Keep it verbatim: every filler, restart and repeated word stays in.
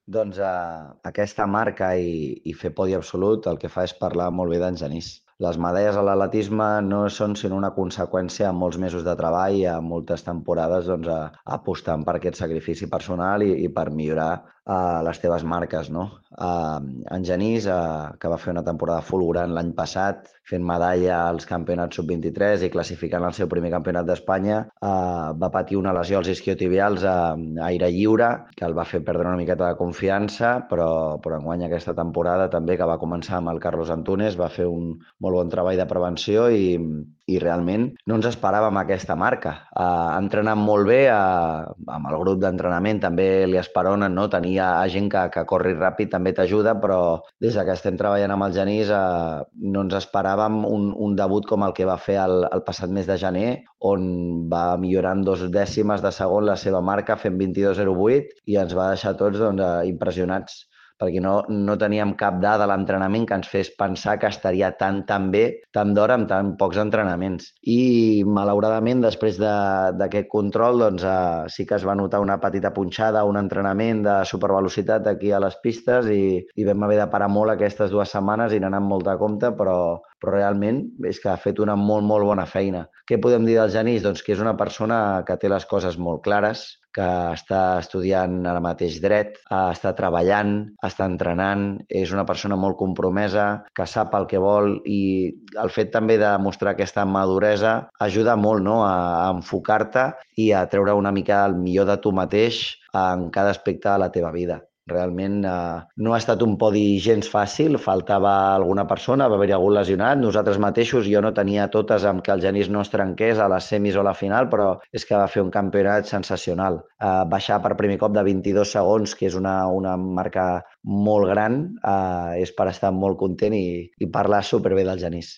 Doncs eh, aquesta marca i, i fer podi absolut el que fa és parlar molt bé d'en Genís. Les medalles a l'atletisme no són sinó una conseqüència de molts mesos de treball i a moltes temporades doncs, a, apostant per aquest sacrifici personal i, i per millorar uh, les teves marques. No? Uh, en Genís, uh, que va fer una temporada fulgurant l'any passat, fent medalla als campionats sub vint-i-tres i classificant el seu primer campionat d'Espanya, uh, va patir una lesió als isquiotibials a, a aire lliure, que el va fer perdre una miqueta de confiança, però, però enguany aquesta temporada també, que va començar amb el Carlos Antunes, va fer un molt bon treball de prevenció i, i realment no ens esperàvem aquesta marca. Uh, ha entrenat molt bé uh, amb el grup d'entrenament, també li esperonen, no? Tenia gent que, que corri ràpid també t'ajuda, però des que estem treballant amb el Genís uh, no ens esperàvem un, un debut com el que va fer el, el passat mes de gener, on va millorar en dos dècimes de segon la seva marca fent vint-i-dos zero vuit i ens va deixar tots doncs, uh, impressionats perquè no, no teníem cap dada a l'entrenament que ens fes pensar que estaria tan, tan bé, tant d'hora amb tan pocs entrenaments. I, malauradament, després d'aquest de, control, doncs, eh, sí que es va notar una petita punxada, un entrenament de supervelocitat aquí a les pistes i, i vam haver de parar molt aquestes dues setmanes i anar amb molta compte, però, però realment és que ha fet una molt, molt bona feina. Què podem dir del Genís? Doncs que és una persona que té les coses molt clares, que està estudiant ara mateix dret, està treballant, està entrenant, és una persona molt compromesa, que sap el que vol i el fet també de mostrar aquesta maduresa ajuda molt, no?, a enfocar-te i a treure una mica el millor de tu mateix en cada aspecte de la teva vida. Realment eh, no ha estat un podi gens fàcil, faltava alguna persona, va haver-hi algun lesionat. Nosaltres mateixos, jo no tenia totes amb que el Genís no es trenqués a les semis o a la final, però és que va fer un campionat sensacional. Eh, baixar per primer cop de vint-i-dos segons, que és una, una marca molt gran, eh, és per estar molt content i, i parlar superbé del Genís.